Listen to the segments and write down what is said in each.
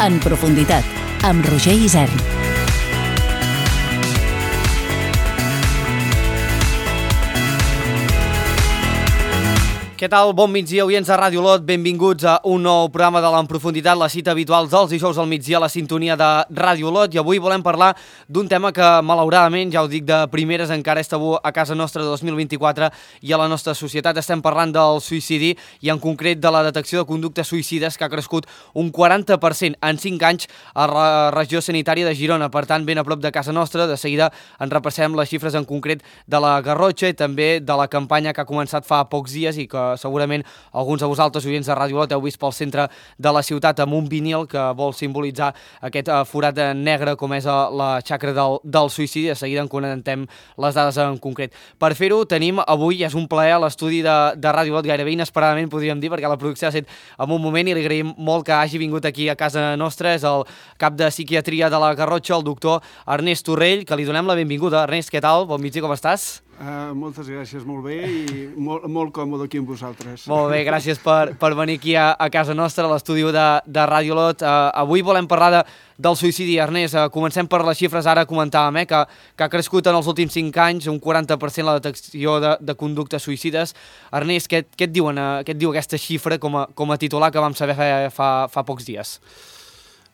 En profunditat, amb Roger Isern. Què tal? Bon migdia, oients de Ràdio Olot. Benvinguts a un nou programa de l'En Profunditat, la cita habitual dels dijous al migdia a la sintonia de Ràdio Olot. I avui volem parlar d'un tema que, malauradament, ja ho dic de primeres, encara és tabú a casa nostra de 2024 i a la nostra societat. Estem parlant del suïcidi i, en concret, de la detecció de conductes suïcides, que ha crescut un 40% en 5 anys a la regió sanitària de Girona. Per tant, ben a prop de casa nostra. De seguida en repassem les xifres en concret de la Garrotxa i també de la campanya que ha començat fa pocs dies i que segurament alguns de vosaltres, oients de Ràdio Olot, heu vist pel centre de la ciutat amb un vinil que vol simbolitzar aquest forat negre com és la xacra del suïcidi. De seguida en conentem les dades en concret. Per fer-ho tenim avui, és un plaer a l'estudi de Ràdio Olot, gairebé inesperadament podríem dir, perquè la producció ha estat en un moment i li agraïm molt que hagi vingut aquí a casa nostra. És el cap de psiquiatria de la Garrotxa, el doctor Ernest Torrell, que li donem la benvinguda. Ernest, què tal? Bon migdia, com estàs? Moltes gràcies, molt bé i molt còmode aquí amb vosaltres. Molt bé, gràcies per venir aquí a casa nostra, a l'estudi de Ràdio Olot. Avui volem parlar del suïcidi. Ernest, comencem per les xifres. Ara comentàvem que ha crescut en els últims 5 anys un 40% la detecció de conductes suïcides. Ernest, què et diu aquesta xifra com a titular que vam saber fa pocs dies?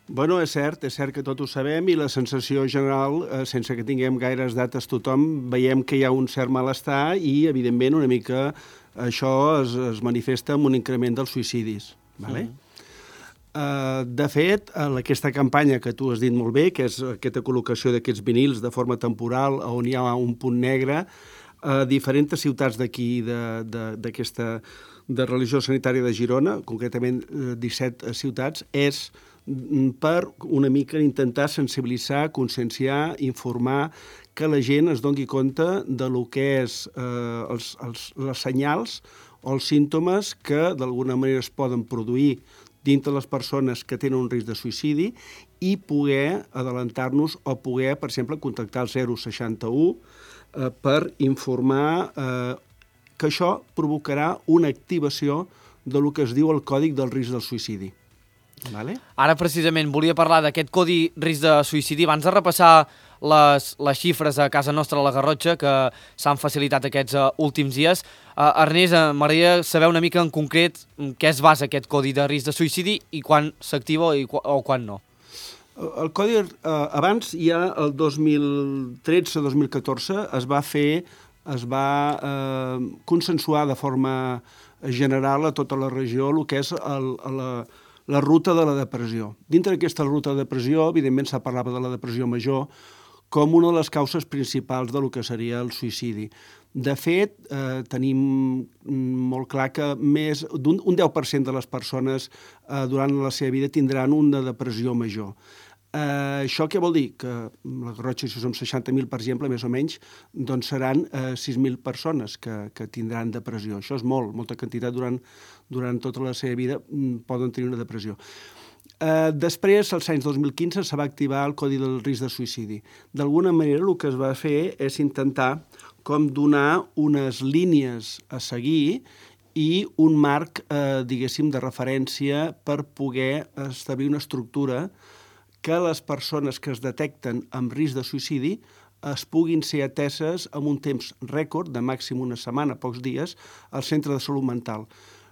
Bueno, és cert que tot ho sabem i la sensació general, sense que tinguem gaires dates tothom, veiem que hi ha un cert malestar i, evidentment, una mica això es manifesta amb un increment dels suïcidis. Vale? De fet, aquesta campanya que tu has dit molt bé, que és aquesta col·locació d'aquests vinils de forma temporal on hi ha un punt negre, a diferents ciutats d'aquí, de religió sanitària de Girona, concretament 17 ciutats, és per una mica intentar sensibilitzar, conscienciar, informar, que la gent es doni compte de lo que és les senyals o els símptomes que d'alguna manera es poden produir dintre les persones que tenen un risc de suïcidi i poder adelantar-nos o poder, per exemple, contactar el 061 per informar que això provocarà una activació de lo que es diu el còdic del risc del suïcidi. Vale? Ara, precisament, volia parlar d'aquest codi risc de suïcidi. Abans de repassar les xifres a casa nostra a la Garrotxa, que s'han facilitat aquests últims dies, Ernest, m'agradaria saber una mica en concret què es basa aquest codi de risc de suïcidi i quan s'activa o quan no. El codi, abans, ja el 2013-2014, es va consensuar de forma general a tota la regió el que és la ruta de la depressió. Dintre d'aquesta ruta de depressió, evidentment, s'ha parlat de la depressió major com una de les causes principals del que seria el suïcidi. De fet, tenim molt clar que més d'un 10% de les persones durant la seva vida tindran una depressió major. Això què vol dir? Que la Garrotxa, si som 60.000, per exemple, més o menys, doncs seran 6.000 persones que tindran depressió. Això és molta quantitat durant tota la seva vida poden tenir una depressió. Després, als anys 2015, se va activar el Codi del Risc de Suïcidi. D'alguna manera, el que es va fer és intentar com donar unes línies a seguir i un marc, diguéssim, de referència per poder establir una estructura que les persones que es detecten amb risc de suïcidi es puguin ser ateses amb un temps rècord, de màxim una setmana, pocs dies, al centre de salut mental.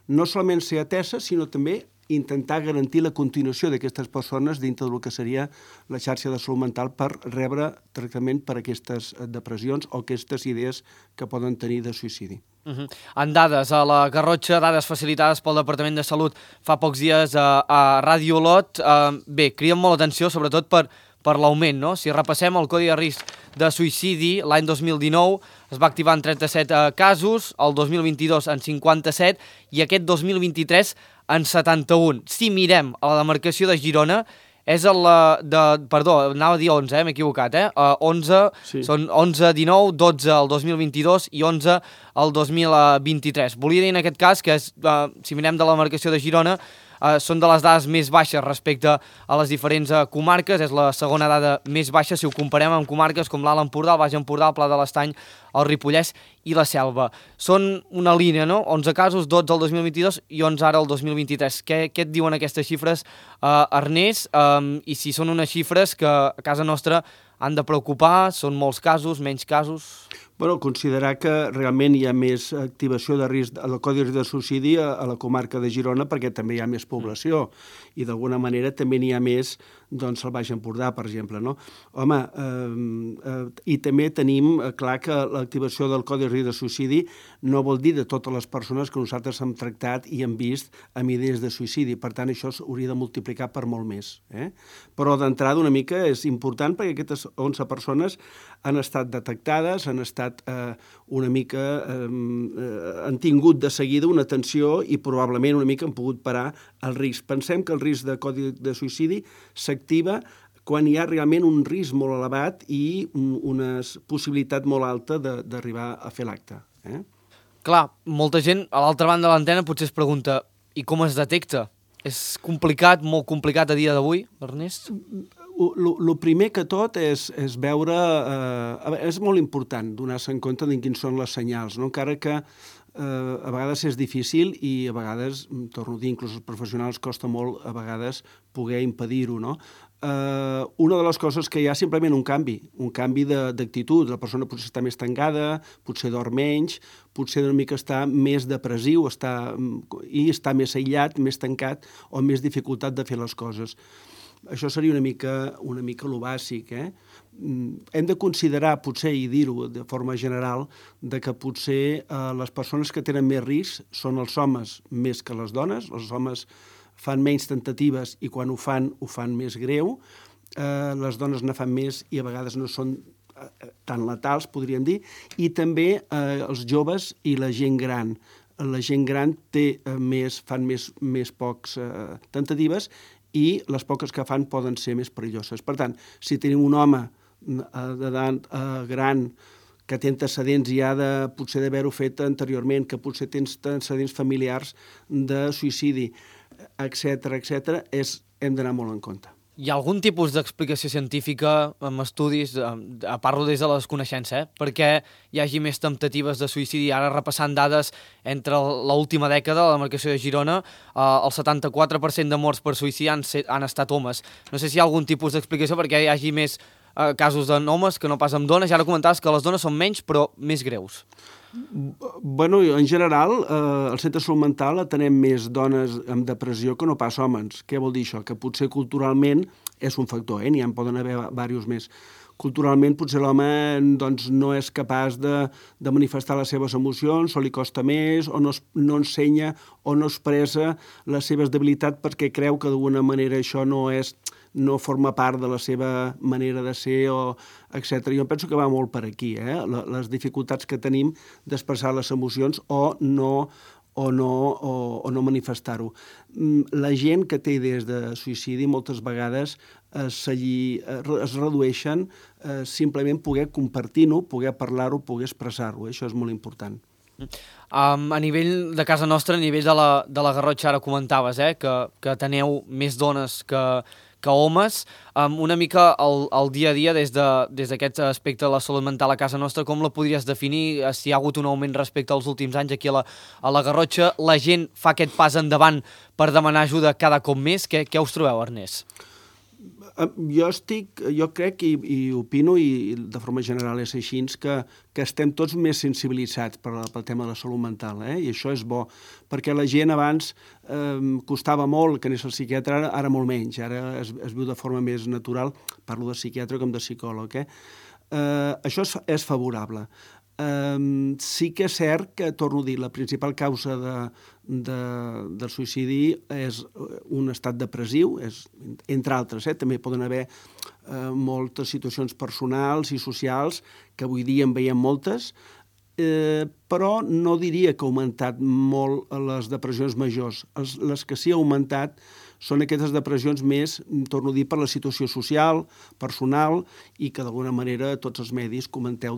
No solament ser ateses, sinó també intentar garantir la continuació d'aquestes persones dintre del que seria la xarxa de salut mental per rebre tractament per aquestes depressions o aquestes idees que poden tenir de suïcidi. En dades, a la Garrotxa, dades facilitades pel Departament de Salut fa pocs dies a Ràdio Olot, bé, criden molt l'atenció, sobretot per l'augment, no? Si repassem el codi de risc de suïcidi, l'any 2019 es va activar en 37 casos, el 2022 en 57 i aquest 2023 en 71. Si mirem a la demarcació de Girona, és perdó, anava a dir 11, m'he equivocat, 11, sí. Són 11, 19, 12 el 2022 i 11 el 2023. Volia dir en aquest cas que, si mirem de la demarcació de Girona, són de les dades més baixes respecte a les diferents comarques, és la segona dada més baixa si ho comparem amb comarques com l'Alt Empordà, el Baix Empordà, el Pla de l'Estany, el Ripollès i la Selva. Són una línia, no? 11 casos, 12 el 2022 i 11 ara el 2023. Què et diuen aquestes xifres, Ernest? I si són unes xifres que a casa nostra han de preocupar, són molts casos, menys casos? Bueno, considerar que realment hi ha més activació de risc, el codi de risc de suïcidi a la comarca de Girona perquè també hi ha més població i d'alguna manera també n'hi ha més doncs al Baix Empordà, per exemple, no? Home, i també tenim clar que l'activació del codi de risc de suïcidi no vol dir de totes les persones que nosaltres hem tractat i hem vist amb idees de suïcidi, per tant això s'hauria de multiplicar per molt més. Però d'entrada una mica és important perquè aquestes 11 persones han estat detectades, han estat una mica, han tingut de seguida una atenció i probablement una mica han pogut parar el risc. Pensem que el risc de codi de suïcidi s'activa quan hi ha realment un risc molt elevat i una possibilitat molt alta d'arribar a fer l'acte. Clar, molta gent a l'altra banda de l'antena potser es pregunta i com es detecta? És complicat, molt complicat a dia d'avui, Ernest? El primer que tot és veure... És molt important donar-se en compte de quins són les senyals, no? Encara que a vegades és difícil i a vegades, torno a dir, inclús els professionals costa molt a vegades poder impedir-ho, no? Una de les coses que hi ha simplement un canvi d'actitud. La persona potser està més tancada, potser dorm menys, potser una mica està més depressiu i està més aïllat, més tancat o amb més dificultat de fer les coses. Això seria una mica lo bàsic. Hem de considerar, potser, i dir-ho de forma general, de que potser les persones que tenen més risc són els homes més que les dones. Els homes fan menys temptatives i quan ho fan més greu. Les dones ne fan més i a vegades no són tan letals, podríem dir. I també els joves i la gent gran. La gent gran fan més pocs temptatives i les poques que fan poden ser més perilloses. Per tant, si tenim un home d'edat gran que té antecedents ja potser d'haver-ho fet anteriorment, que potser té antecedents familiars de suïcidi, etc., hem d'anar molt en compte. Hi ha algun tipus d'explicació científica amb estudis, parlo des de la desconeixença, perquè hi hagi més temptatives de suïcidi? Ara repassant dades entre l'última dècada, la demarcació de Girona, el 74% de morts per suïcidi han estat homes. No sé si hi ha algun tipus d'explicació perquè hi hagi més casos d'homes que no pas amb dones. I ara comentaves que les dones són menys però més greus. Bueno, en general, al centre de salut mental atenem més dones amb depressió que no pas homes. Què vol dir això? Que potser culturalment és un factor, n'hi en poden haver diversos més. Culturalment potser l'home no és capaç de manifestar les seves emocions, o li costa més, o no ensenya o no expressa les seves debilitats perquè creu que d'alguna manera això no forma part de la seva manera de ser, etc. Jo penso que va molt per aquí, les dificultats que tenim d'expressar les emocions o no manifestar-ho. La gent que té idees de suïcidi moltes vegades es redueixen simplement poder compartir-ho, poder parlar-ho, poder expressar-ho. Això és molt important. A nivell de casa nostra, a nivell de la Garrotxa, ara comentaves que teneu més dones que homes. Una mica el dia a dia des d'aquest aspecte de la salut mental a casa nostra, com la podries definir? Si hi ha hagut un augment respecte als últims anys aquí a la Garrotxa, la gent fa aquest pas endavant per demanar ajuda cada cop més? Què us trobeu, Ernest? Jo crec i opino, i de forma general és així, que estem tots més sensibilitzats pel tema de la salut mental, i això és bo, perquè la gent abans costava molt que anés al psiquiatre, ara molt menys, ara es viu de forma més natural, parlo de psiquiatre com de psicòleg. Això és favorable. Sí que és cert que, torno a dir, la principal causa del suïcidi és un estat depressiu, entre altres, també poden haver moltes situacions personals i socials, que avui dia en veiem moltes, però no diria que ha augmentat molt les depressions majors. Les que sí ha augmentat són aquestes depressions més, torno a dir, per la situació social, personal, i que d'alguna manera tots els medis comenteu,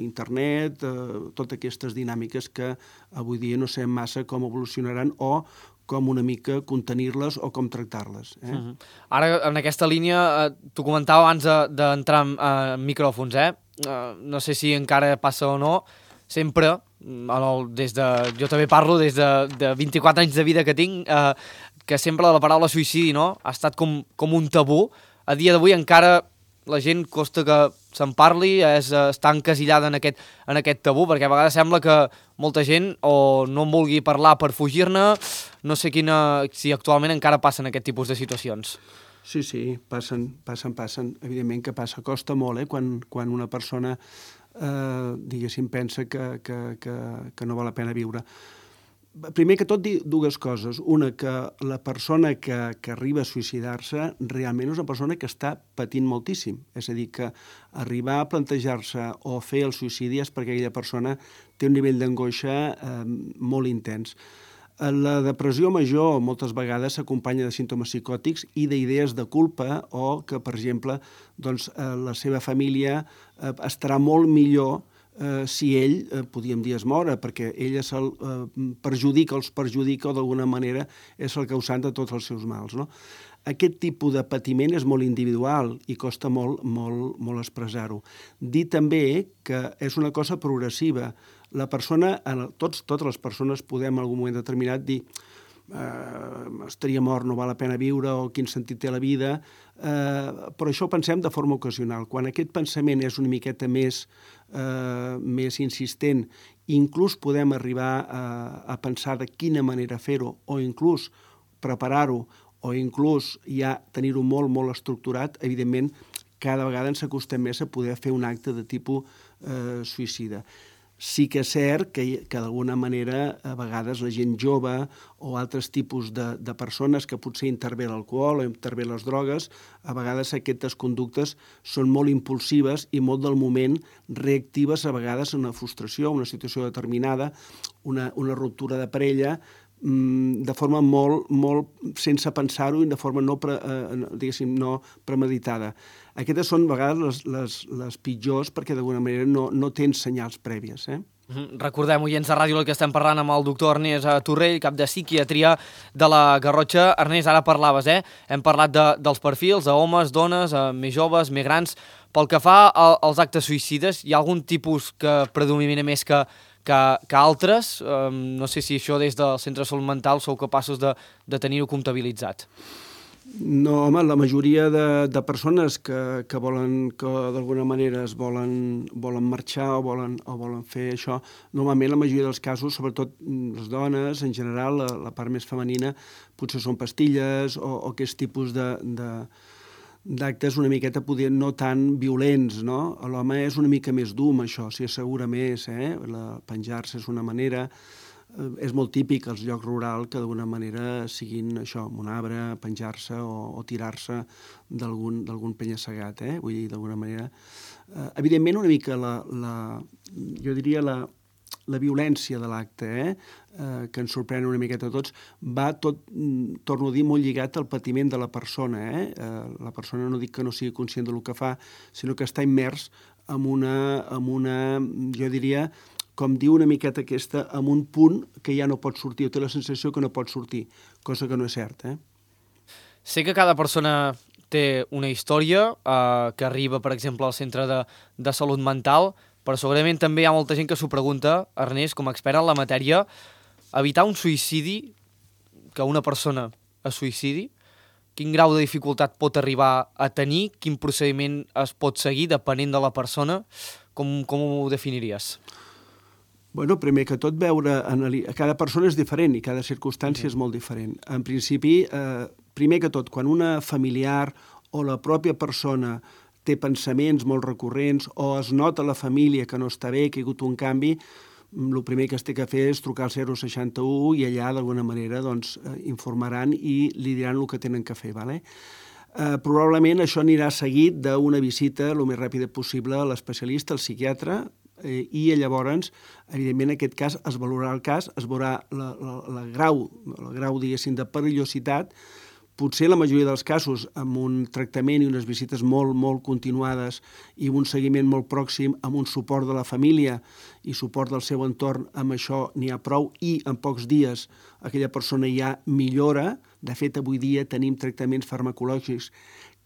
internet, totes aquestes dinàmiques que avui dia no sabem massa com evolucionaran o com una mica contenir-les o com tractar-les. Ara, en aquesta línia, t'ho comentava abans d'entrar en micròfons, no sé si encara passa o no, sempre, jo també parlo des de 24 anys de vida que tinc, que sempre la paraula suïcidi, no?, ha estat com un tabú. A dia d'avui encara la gent costa que se'n parli, està encasillada en aquest tabú, perquè a vegades sembla que molta gent o no en vulgui parlar per fugir-ne, no sé si actualment encara passen aquest tipus de situacions. Sí, passen. Evidentment que passa. Costa molt, quan una persona, diguéssim, pensa que no val la pena viure. Primer que tot, dir dues coses. Una, que la persona que arriba a suïcidar-se realment és una persona que està patint moltíssim. És a dir, que arribar a plantejar-se o fer el suïcidi és perquè aquella persona té un nivell d'angoixa molt intens. La depressió major moltes vegades s'acompanya de símptomes psicòtics i d'idees de culpa o que, per exemple, doncs, la seva família estarà molt millor si ell, podríem dir, es mora, perquè ella se'l perjudica o d'alguna manera és el causant de tots els seus mals, no? Aquest tipus de patiment és molt individual i costa molt expressar-ho. Dir també que és una cosa progressiva. La persona, totes les persones podem en algun moment determinat dir estaria mort, no val la pena viure, o quin sentit té la vida, però això ho pensem de forma ocasional. Quan aquest pensament és una miqueta més insistent, inclús podem arribar a pensar de quina manera fer-ho, o inclús preparar-ho, o inclús ja tenir-ho molt estructurat, evidentment cada vegada ens acostem més a poder fer un acte de tipus suïcida. Sí que és cert que d'alguna manera a vegades la gent jove o altres tipus de persones que potser intervé l'alcohol o intervé les drogues, a vegades aquestes conductes són molt impulsives i molt del moment reactives a vegades en una frustració, una situació determinada, una ruptura de parella, de forma molt sense pensar-ho i de forma no premeditada. Aquestes són a vegades les pitjors perquè d'alguna manera no tens senyals prèvies. Recordem, oients de Ràdio, que estem parlant amb el doctor Ernest Torrell, cap de psiquiatria de la Garrotxa. Ernest, ara parlaves, hem parlat dels perfils, d'homes, dones, més joves, més grans. Pel que fa als actes suïcides, hi ha algun tipus que predomina més que altres? No sé si això des del Centre de Salut Mental sou capaços de tenir-ho comptabilitzat. No, home, la majoria de persones que volen, que d'alguna manera es volen marxar o volen fer això, normalment la majoria dels casos, sobretot les dones, en general, la part més femenina, potser són pastilles o aquest tipus d'actes una miqueta podien no tan violents, no? L'home és una mica més dur amb això, s'hi assegura més, penjar-se és una manera. És molt típic als llocs rurals que d'alguna manera siguin això, amb un arbre, penjar-se o tirar-se d'algun penya-segat, vull dir, d'alguna manera. Evidentment, una mica jo diria la violència de l'acte, que ens sorprèn una miqueta a tots, va tot, torno a dir, molt lligat al patiment de la persona. La persona no dic que no sigui conscient del que fa, sinó que està immers en una, jo diria, com diu una miqueta aquesta, en un punt que ja no pot sortir, o té la sensació que no pot sortir, cosa que no és cert. Sé que cada persona té una història que arriba, per exemple, al centre de salut mental, però segurament també hi ha molta gent que s'ho pregunta, Ernest, com a expert en la matèria, evitar un suïcidi, que una persona es suïcidi, quin grau de dificultat pot arribar a tenir, quin procediment es pot seguir depenent de la persona, com ho definiries? Bueno, primer que tot veure, cada persona és diferent i cada circumstància és molt diferent. En principi, primer que tot, quan una familiar o la pròpia persona té pensaments molt recurrents o es nota a la família que no està bé, que hi ha hagut un canvi, el primer que es té que fer és trucar al 061 i allà d'alguna manera informaran i li diran el que tenen que fer. Probablement això anirà seguit d'una visita el més ràpida possible a l'especialista, al psiquiatre, i llavors, evidentment, en aquest cas es valorarà el cas, es veurà el grau, diguéssim, de perillositat, Potser la majoria dels casos amb un tractament i unes visites molt continuades i un seguiment molt pròxim, amb un suport de la família i suport del seu entorn, amb això n'hi ha prou i en pocs dies aquella persona ja millora. De fet, avui dia tenim tractaments farmacològics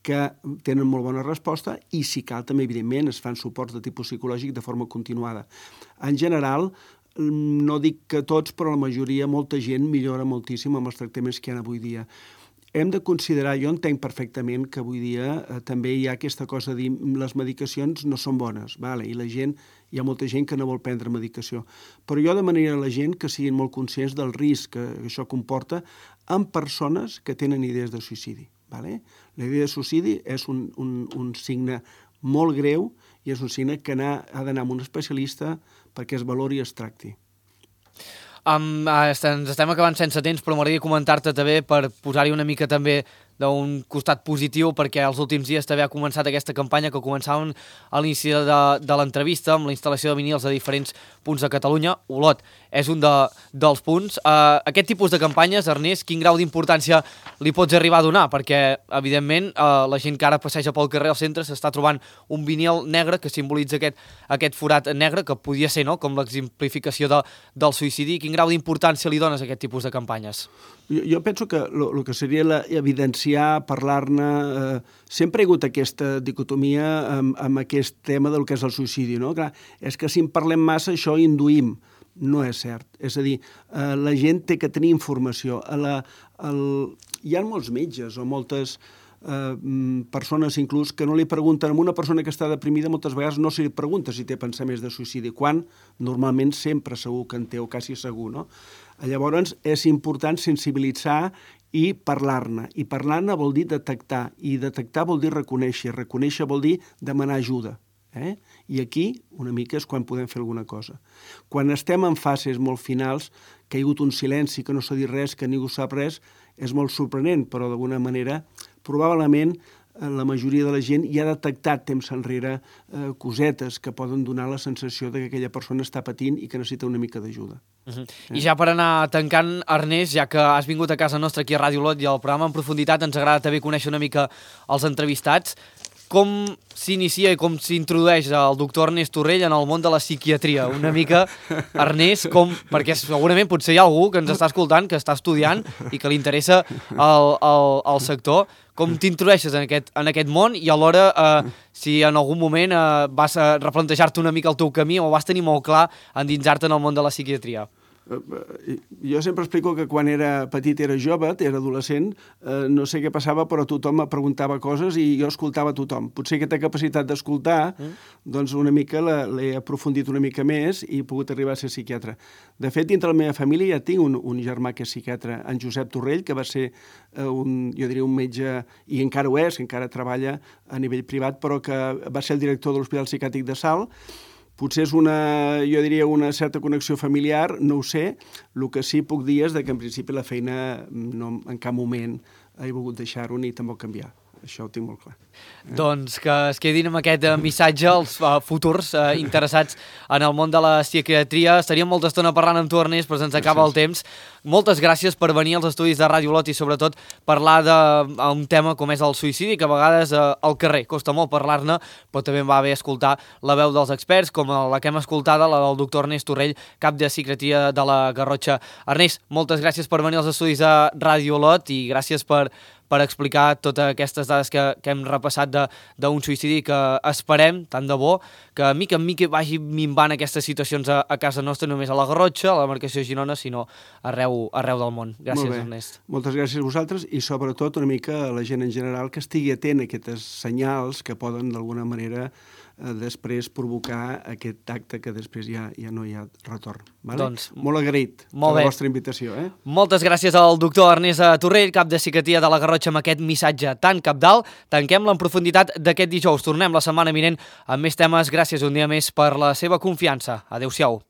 que tenen molt bona resposta i, si cal, també, evidentment, es fan suports de tipus psicològic de forma continuada. En general, no dic que tots, però la majoria, molta gent millora moltíssim amb els tractaments que hi ha avui dia. Hem de considerar, jo entenc perfectament que avui dia també hi ha aquesta cosa de dir les medicacions no són bones, vale? I hi ha molta gent que no vol prendre medicació. Però jo demanaria a la gent que siguin molt conscients del risc que això comporta en persones que tenen idees de suïcidi. Vale? La idea de suïcidi és un signe molt greu i és un signe que ha d'anar amb un especialista perquè es valori i es tracti. Ens estem acabant sense temps, però m'agradaria comentar-te també per posar-hi una mica també d'un costat positiu, perquè els últims dies també ha començat aquesta campanya que començàvem a l'inici de l'entrevista amb la instal·lació de vinils a diferents punts de Catalunya. Olot és un dels punts. Aquest tipus de campanyes, Ernest, quin grau d'importància li pots arribar a donar? Perquè, evidentment, la gent que ara passeja pel carrer al centre s'està trobant un vinil negre que simbolitza aquest forat negre, que podia ser, no?, com l'exemplificació del suïcidi. Quin grau d'importància li dones a aquest tipus de campanyes? Jo penso que el que seria evidenciar, parlar-ne... Sempre hi ha hagut aquesta dicotomia amb aquest tema del que és el suïcidi, no? Clar, és que si en parlem massa això induïm. No és cert. És a dir, la gent té que tenir informació. Hi ha molts metges o moltes persones inclús que no li pregunten a una persona que està deprimida, moltes vegades no se li pregunta si té pensaments de suïcidi, quan normalment sempre segur que en té, o quasi segur, no? Llavors és important sensibilitzar i parlar-ne. I parlar-ne vol dir detectar, i detectar vol dir reconèixer, reconèixer vol dir demanar ajuda. I aquí una mica és quan podem fer alguna cosa. Quan estem en fases molt finals, que hi ha hagut un silenci, que no s'ha dit res, que ningú sap res, és molt sorprenent, però d'alguna manera probablement la majoria de la gent ja ha detectat temps enrere cosetes que poden donar la sensació que aquella persona està patint i que necessita una mica d'ajuda. I ja per anar tancant, Ernest, ja que has vingut a casa nostra aquí a Ràdio Olot i al programa en profunditat, ens agrada també conèixer una mica els entrevistats. Com s'inicia i com s'introdueix el doctor Ernest Torrell en el món de la psiquiatria? Una mica, Ernest, perquè segurament potser hi ha algú que ens està escoltant, que està estudiant i que li interessa el sector. Com t'introdueixes en aquest món i alhora si en algun moment vas a replantejar-te una mica el teu camí o vas tenir molt clar endinsar-te en el món de la psiquiatria? Jo sempre explico que quan era petit, era jove, era adolescent, no sé què passava, però tothom me preguntava coses i jo escoltava tothom. Potser aquesta capacitat d'escoltar, doncs una mica l'he aprofundit una mica més i he pogut arribar a ser psiquiatre. De fet, dintre la meva família ja tinc un germà que és psiquiatre, en Josep Torrell, que va ser jo diria un metge, i encara ho és, que encara treballa a nivell privat, però que va ser el director de l'Hospital Psiquiàtric de Salt. Potser és jo diria una certa connexió familiar, no ho sé. El que sí puc dir és que en principi la feina en cap moment he volgut deixar-ho ni tampoc canviar. Això ho tinc molt clar. Doncs que es quedin amb aquest missatge els futurs interessats en el món de la psiquiatria. Estaríem molta estona parlant amb tu, Ernest, però se'ns acaba el temps. Moltes gràcies per venir als estudis de Ràdio Olot i sobretot parlar d'un tema com és el suïcidi, que a vegades al carrer costa molt parlar-ne, però també va bé escoltar la veu dels experts, com la que hem escoltada, la del doctor Ernest Torrell, cap de psiquiatria de la Garrotxa. Ernest, moltes gràcies per venir als estudis de Ràdio Olot i gràcies per explicar totes aquestes dades que hem repassat d'un suïcidi que esperem, tant de bo, que mica en mica vagi minvant aquestes situacions a casa nostra, només a la Garrotxa, a la demarcació de Girona, sinó arreu del món. Gràcies, Ernest. Moltes gràcies a vosaltres i sobretot una mica a la gent en general que estigui atent a aquests senyals que poden d'alguna manera després provocar aquest acte que després ja no hi ha retorn. Doncs, molt agraït per la vostra invitació. Moltes gràcies al doctor Ernest Torrell, cap de psiquiatria de la Garrotxa, amb aquest missatge tan cabdal. Tanquem-la en profunditat d'aquest dijous. Tornem la setmana vinent amb més temes. Gràcies un dia més per la seva confiança. Adéu-siau.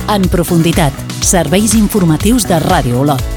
En profunditat, serveis informatius de Ràdio Olot.